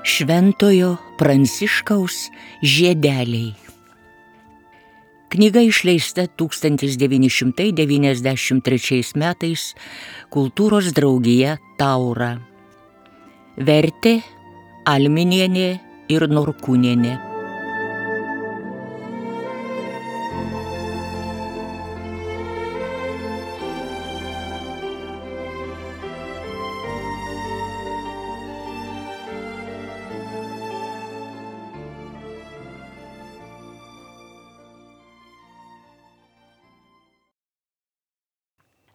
Šventojo Pranciškaus žiedeliai. Knyga išleista 1993 metais Kultūros draugija Taura. Vertė Alminienė ir Norkūnienė.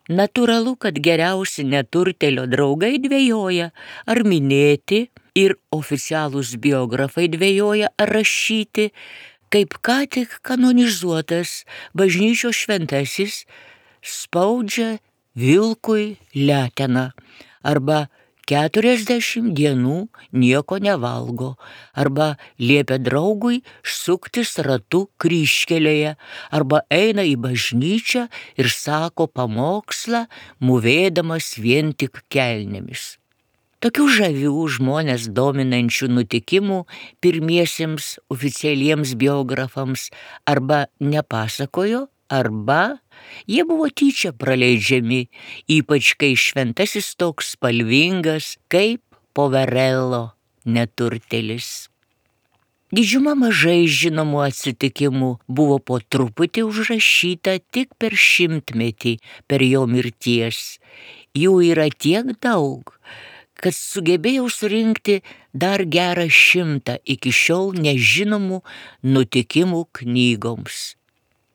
Natūralu, kad geriausi neturtėlio draugai dvejoja, ar minėti, ir oficialūs biografai dvejoja, ar rašyti, kaip ką tik kanonizuotas bažnyčios šventasis spaudžia vilkui leteną, arba 40 dienų nieko nevalgo, arba liepia draugui suktis ratu kryžkelėje, arba eina į bažnyčią ir sako pamokslą, mūvėdamas vien tik kelnėmis. Tokių žavių žmonės dominančių nutikimų pirmiesiems oficialiems biografams arba nepasakojo, arba jie buvo tyčia praleidžiami, ypač kai šventasis toks spalvingas kaip Poverello neturtėlis. Didžiuma mažai žinomų atsitikimų buvo po truputį užrašyta tik per 100-metį per jo mirties. Jų yra tiek daug, kad sugebėjau surinkti dar gerą 100 iki šiol nežinomų nutikimų knygoms.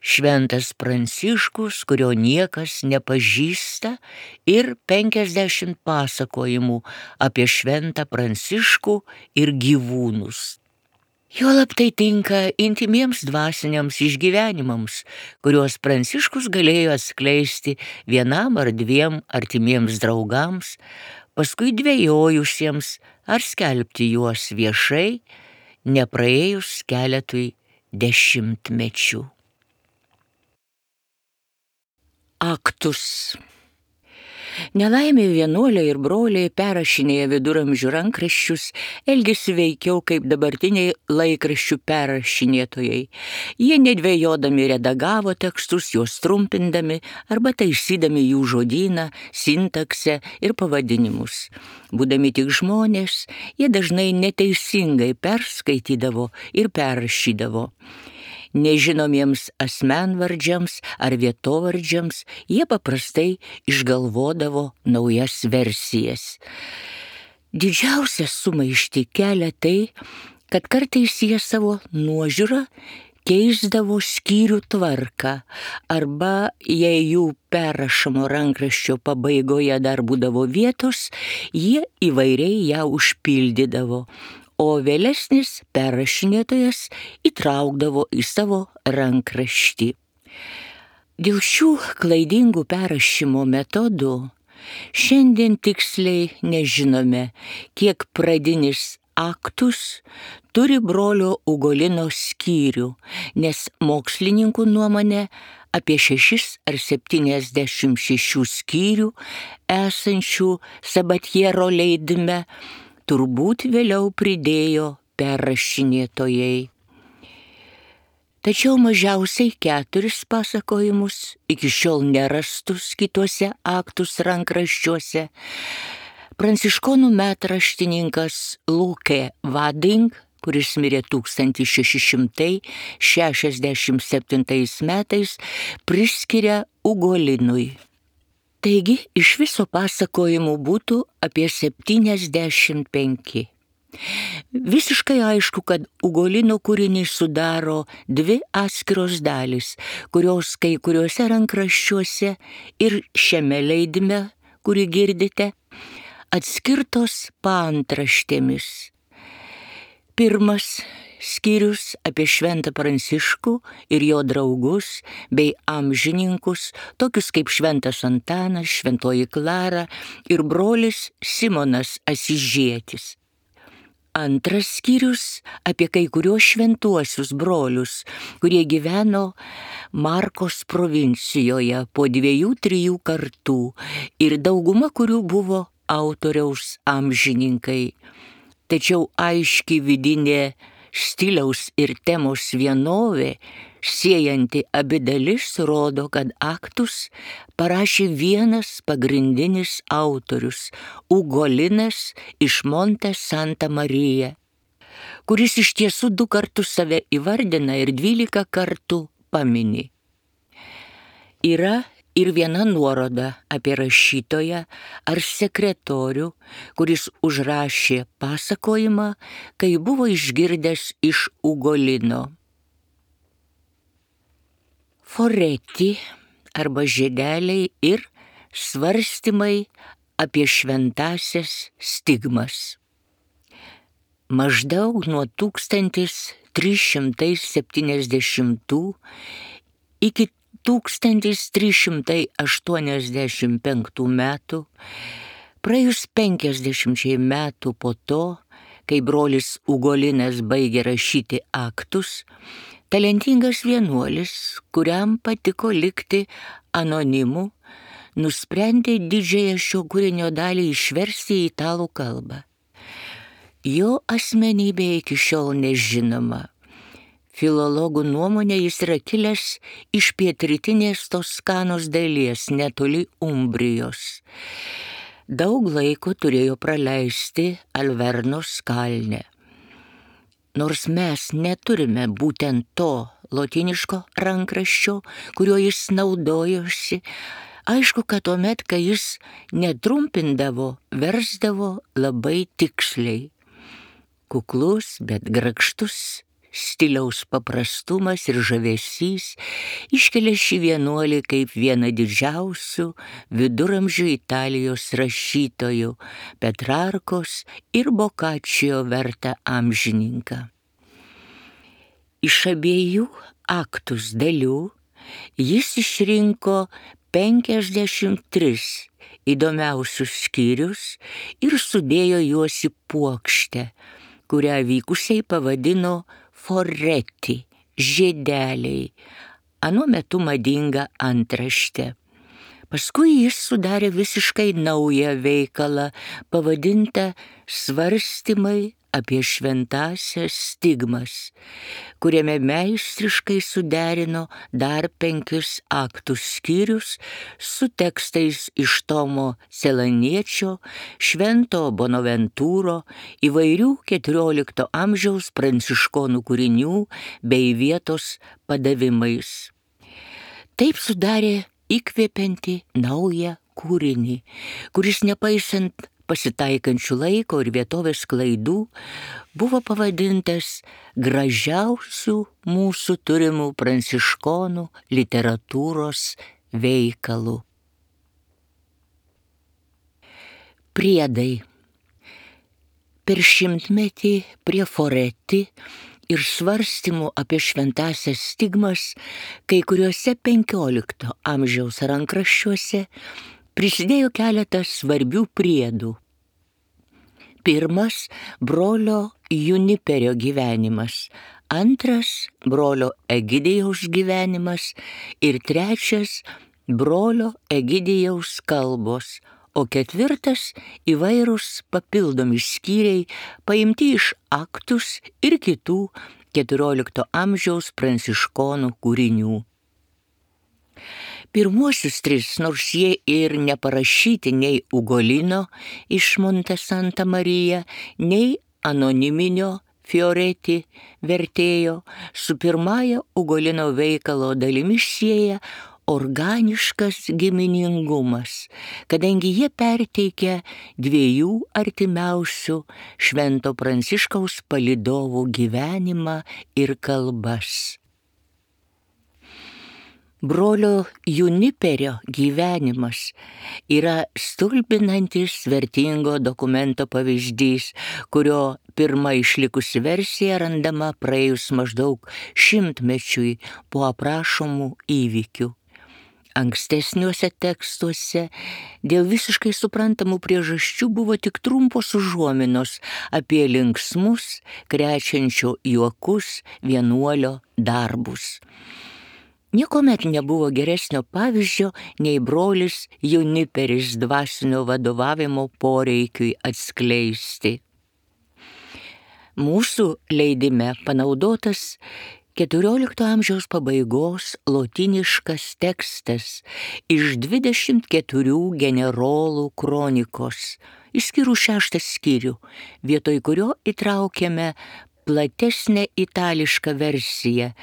Šventas Pranciškus, kurio niekas nepažįsta, ir 50 pasakojimų apie šventą Pranciškų ir gyvūnus. Juolab tai tinka intymiems dvasiniams išgyvenimams, kuriuos Pranciškus galėjo atskleisti vienam ar 2 artimiems draugams, paskui dvejojusiems ar skelbti juos viešai, nepraėjus keletui dešimtmečių. Aktus. Nelaimė vienuoliai ir broliai perrašinėję viduramžių rankraščius elgėsi veikiau kaip dabartiniai laikraščių perrašinėtojai. Jie nedvejodami redagavo tekstus, juos trumpindami arba taisydami jų žodyną, sintaksę ir pavadinimus. Būdami tik žmonės, jie dažnai neteisingai perskaitydavo ir perrašydavo. Nežinomiems asmenvardžiams ar vietovardžiams jie paprastai išgalvodavo naujas versijas. Didžiausią sumaištį kelia tai, kad kartais jie savo nuožiūrą keisdavo skyrių tvarką, arba jei jų perrašomo rankraščio pabaigoje dar būdavo vietos, jie įvairiai ją užpildydavo, o vėlesnis perrašinėtojas įtraukdavo į savo rankraštį. Dėl šių klaidingų perrašymo metodų šiandien tiksliai nežinome, kiek pradinis Aktus turi brolio Ugolino skyrių, nes mokslininkų nuomonė apie 6 ar 76 skyrių esančių Sabatiero leidime turbūt vėliau pridėjo perrašinėtojai. Tačiau mažiausiai 4 pasakojimus, iki šiol nerastus kituose Aktus rankraščiuose, pranciškonų metraštininkas Luke Vading, kuris mirė 1667 metais, priskiria Ugolinui. Taigi, iš viso pasakojimų būtų apie 75. Visiškai aišku, kad Ugolino kūrinį sudaro 2 atskiros dalys, kurios kai kuriuose rankraščiuose ir šiame leidime, kurį girdite, atskirtos paantraštėmis. Pirmas skyrius apie šventą Pranciškų ir jo draugus bei amžininkus, tokius kaip šventas Antanas, šventoji Klara ir brolis Simonas Asižietis. Antras skyrius apie kai kuriuos šventuosius brolius, kurie gyveno Markos provincijoje po 2-3 kartų ir dauguma kurių buvo autoriaus amžininkai. Tačiau aiški vidinė stiliaus ir temos vienovė, siejanti abi dalis, rodo, kad aktus parašė vienas pagrindinis autorius – Ugolinas iš Monte Santa Maria, kuris iš tiesų 2 kartus save įvardina ir 12 kartų pamini. Yra ir viena nuoroda apie rašytoją ar sekretorių, kuris užrašė pasakojimą, kai buvo išgirdęs iš Ugolino. Foreti arba žiedeliai ir svarstymai apie šventąsias stigmas. Maždaug nuo 1370 iki 1385 metų, praėjus 50 metų po to, kai brolis Ugolinas baigė rašyti aktus, talentingas vienuolis, kuriam patiko likti anonimu, nusprendė didžiąją šio kūrinio dalį išversti į italų kalbą. Jo asmenybė iki šiol nežinoma. Filologų nuomonė jis yra kilęs iš pietrytinės Toskanos dalies netoli Umbrijos. Daug laiko turėjo praleisti Alvernos kalne. Nors mes neturime būtent to lotyniško rankraščio, kuriuo jis naudojosi, aišku, kad tuomet, kai jis netrumpindavo, versdavo labai tiksliai. Kuklus, bet grakštus stiliaus paprastumas ir žavesys iškelia šį vienuolį kaip vieną didžiausių viduramžių Italijos rašytojų, Petrarkos ir Bokačio vertą amžininką. Iš abiejų aktus dalių jis išrinko 53 įdomiausius skyrius ir sudėjo juos į puokštę, kurią vykusiai pavadino Foreti, žiedeliai, anuo metu madinga antraštė. Paskui jis sudarė visiškai naują veikalą, pavadintą Svarstymai apie šventąsias stigmas, kuriame meistriškai suderino dar 5 aktų skyrius su tekstais iš Tomo Selaniečio, Švento Bonaventūro, įvairių 14 amžiaus pranciškonų kūrinių bei vietos padavimais. Taip sudarė įkvepiantį naują kūrinį, kuris nepaisant pasitaikančių laiko ir vietovės klaidų buvo pavadintas gražiausių mūsų turimų pranciškonų literatūros veikalu. Priedai. Per 100-metį prie Foreti ir svarstymų apie šventąsias stigmas kai kuriuose 15 amžiaus rankraščiuose prisidėjo keletas svarbių priedų. Pirmas – brolio Juniperio gyvenimas, antras – brolio Egidijaus gyvenimas ir trečias – brolio Egidijaus kalbos, o ketvirtas – įvairūs papildomi skyriai paimti iš aktus ir kitų 14 amžiaus pranciškonų kūrinių. Pirmuosius 3, nors jie ir neparašyti nei Ugolino iš Monte Santa Maria, nei anoniminio Foreti vertėjo, su pirmąja Ugolino veikalo dalimi sieja organiškas giminingumas, kadangi jie perteikia 2 artimiausių Švento Pranciškaus palydovų gyvenimą ir kalbas. Brolio Juniperio gyvenimas yra stulbinantis vertingo dokumento pavyzdys, kurio pirma išlikusi versija randama praėjus maždaug 100-mečiui po aprašomų įvykių. Ankstesniuose tekstuose dėl visiškai suprantamų priežasčių buvo tik trumpos užuominos apie linksmus, krečiančio juokus vienuolio darbus. Niekuomet nebuvo geresnio pavyzdžio nei brolis Juniperis dvasinio vadovavimo poreikiui atskleisti. Mūsų leidime panaudotas XIV amžiaus pabaigos lotyniškas tekstas iš 24 generolų kronikos, išskyrus 6 skyrių, vietoj kurio įtraukėme platesnę itališką versiją,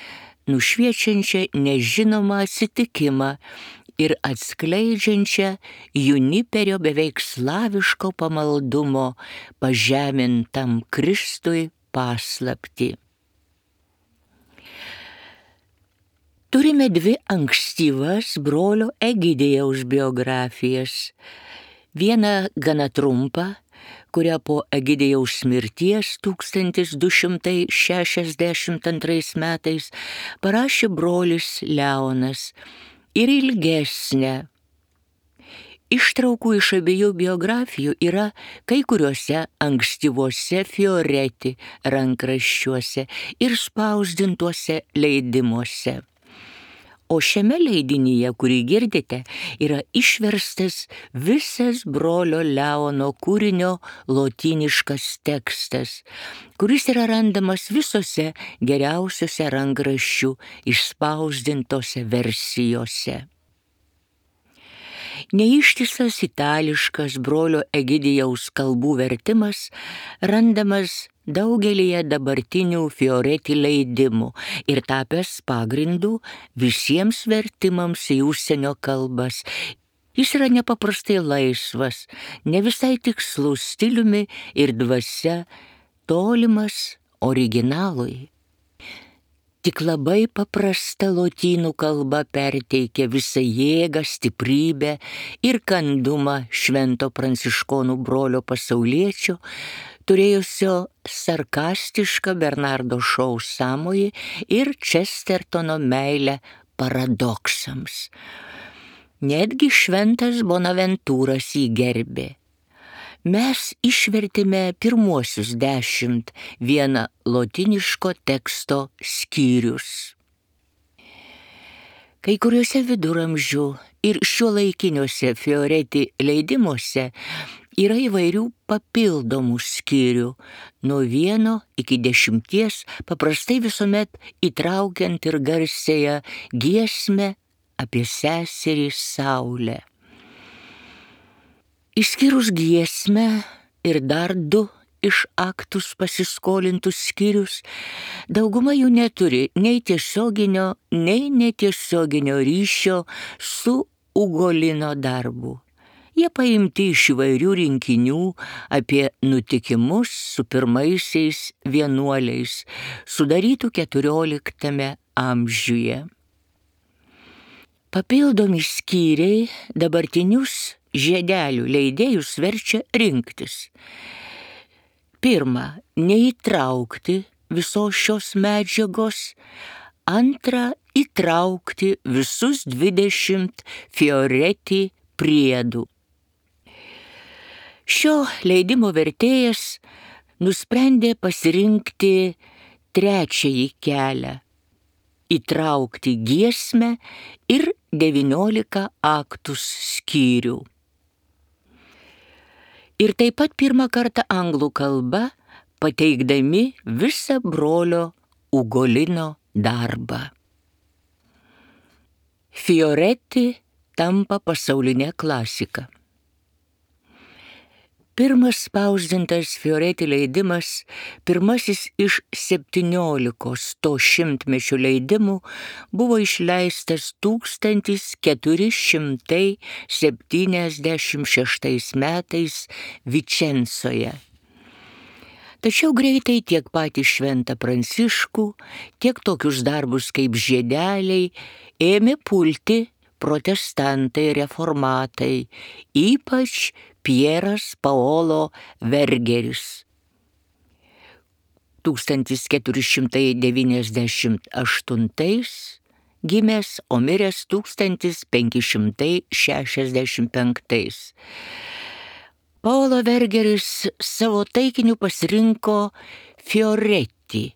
nušviečiančią nežinomą atsitikimą ir atskleidžiančią Juniperio beveik slaviško pamaldumo pažemintam Kristui paslaptį. Turime 2 ankstyvas brolio Egidijaus biografijas. Vieną gana trumpą, kurią po Egidijaus mirties 1262 metais parašė brolis Leonas, ir ilgesnę. Ištraukų iš abiejų biografijų yra kai kuriuose ankstyvuose Fioretti rankraščiuose ir spausdintuose leidimuose. O šiame leidinyje, kurį girdite, yra išverstas visas brolio Leono kūrinio lotyniškas tekstas, kuris yra randamas visose geriausiose rankraščių išspausdintose versijose. Neištisas itališkas brolio Egidijaus kalbų vertimas randamas daugelyje dabartinių Fioretti leidimų ir tapęs pagrindu visiems vertimams į užsienio kalbas. Jis yra nepaprastai laisvas, ne visai tikslus stiliumi ir dvasia, tolimas originalui. Tik labai paprasta lotynų kalba perteikia visą jėgą, stiprybę ir kandumą švento pranciškonų brolio pasauliečio, turėjusio sarkastišką Bernardo Šou sąmojį ir Čestertono meilę paradoksams. Netgi šventas Bonaventūras jį gerbė. Mes išvertėme pirmuosius 10 vieną lotyniško teksto skyrius. Kai kuriuose viduramžių ir šiuolaikiniuose Fioretti leidimuose yra įvairių papildomų skyrių, nuo 1 iki 10, paprastai visuomet įtraukiant ir garsiąją giesmę apie seserį Saulę. Išskyrus giesmę ir dar 2 iš Aktus pasiskolintus skyrius, dauguma jų neturi nei tiesioginio, nei netiesioginio ryšio su Ugolino darbu. Jie paimti iš įvairių rinkinių apie nutikimus su pirmaisiais vienuoliais, sudarytų 14 amžiuje. Papildomi skyriai dabartinius žiedelių leidėjus verčia rinktis. Pirma, neįtraukti visos šios medžiagos. Antra, įtraukti visus 20 Fioretti priedų. Šio leidimo vertėjas nusprendė pasirinkti trečiąjį kelią – įtraukti giesmę ir 19 Aktus skyrių. Ir taip pat pirmą kartą anglų kalba pateikdami visą brolio Ugolino darbą. Fioretti tampa pasaulinė klasika. Pirmas spausdintas Fioretti leidimas, pirmasis iš 17 to šimtmečio leidimų, buvo išleistas 1476 metais Vičensoje. Tačiau greitai tiek patį šventą Pranciškų, tiek tokius darbus kaip žiedeliai ėmė pulti protestantai reformatai, ypač Pieras Paolo Vergeris. 1498 gimęs, o miręs 1565. Paolo Vergeris savo taikiniu pasirinko Fioretti,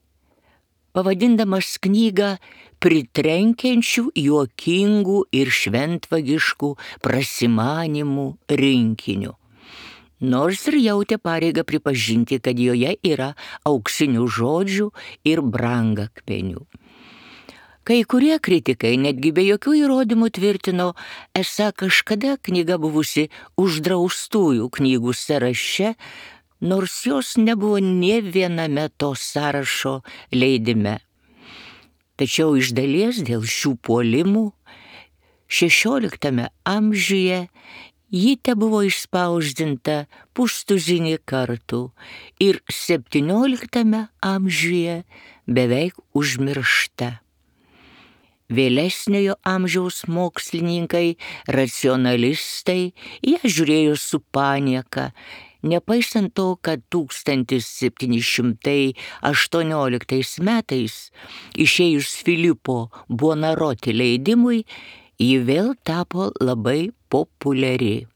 pavadindamas knygą pritrenkiančių, juokingų ir šventvagiškų prasimanimų rinkiniu. Nors ir jautė pareigą pripažinti, kad joje yra auksinių žodžių ir brangakmenių. Kai kurie kritikai netgi be jokių įrodymų tvirtino, esą kažkada knyga buvusi uždraustųjų knygų sąraše, nors jos nebuvo nė viename to sąrašo leidime. Tačiau iš dalies dėl šių puolimų XVI amžiuje ji tebuvo išspausdinta pustuzinį kartų ir XVII amžiuje beveik užmiršta. Vėlesniojo amžiaus mokslininkai, racionalistai ją žiūrėjo su panieka, nepaisant to, kad 1718 metais išėjus Filipo Buonarroti leidimui, ji vėl tapo labai populiari.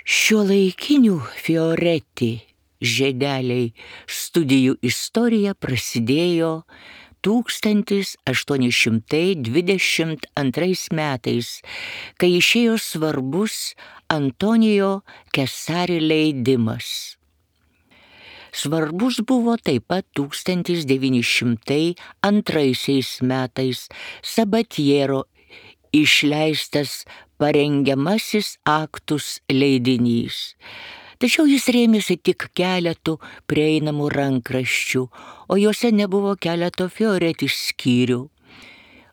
Šiuolaikinių Fioretti žiedeliai studijų istorija prasidėjo 1822 metais, kai išėjo svarbus Antonijo Kesari leidimas. Svarbus buvo taip pat 1902 metais Sabatiero išleistas parengiamasis aktus leidinys. Tačiau jis rėmėsi tik keletų prieinamų rankraščių, o juose nebuvo keleto Fioretti skyrių.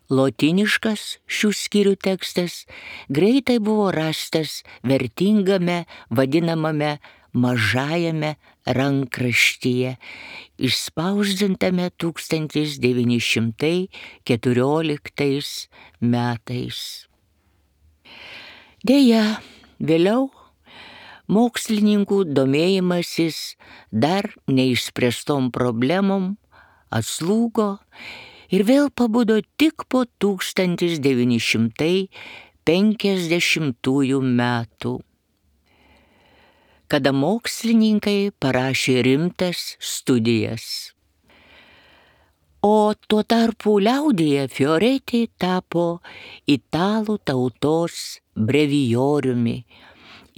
Lotyniškas šių skyrių tekstas greitai buvo rastas vertingame vadinamame mažajame rankraštyje, išspausdintame 1914 metais. Deja, vėliau mokslininkų domėjimasis dar neišspręstom problemom atslūgo ir vėl pabudo tik po 1950 metų, kada mokslininkai parašė rimtas studijas. O tuo tarpu liaudyje Fioretti tapo italų tautos brevijoriumi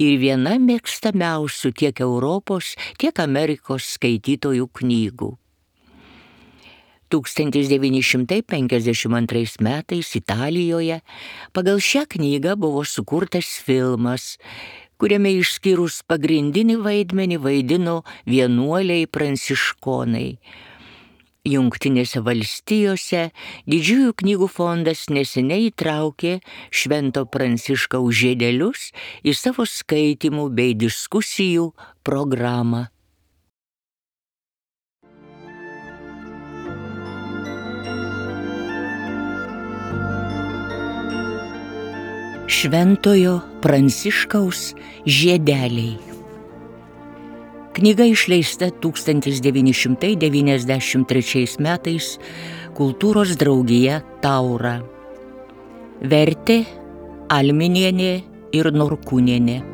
ir viena mėgstamiausių tiek Europos, tiek Amerikos skaitytojų knygų. 1952 metais Italijoje pagal šią knygą buvo sukurtas filmas, kuriame išskyrus pagrindinį vaidmenį vaidino vienuoliai pranciškonai. Jungtinėse valstijose Didžiųjų knygų fondas neseniai įtraukė Švento Pranciškaus žiedelius į savo skaitymų bei diskusijų programą. Šventojo Pranciškaus žiedeliai. Knyga išleista 1993 metais Kultūros draugija Taura. Vertė Alminienė ir Norkūnienė.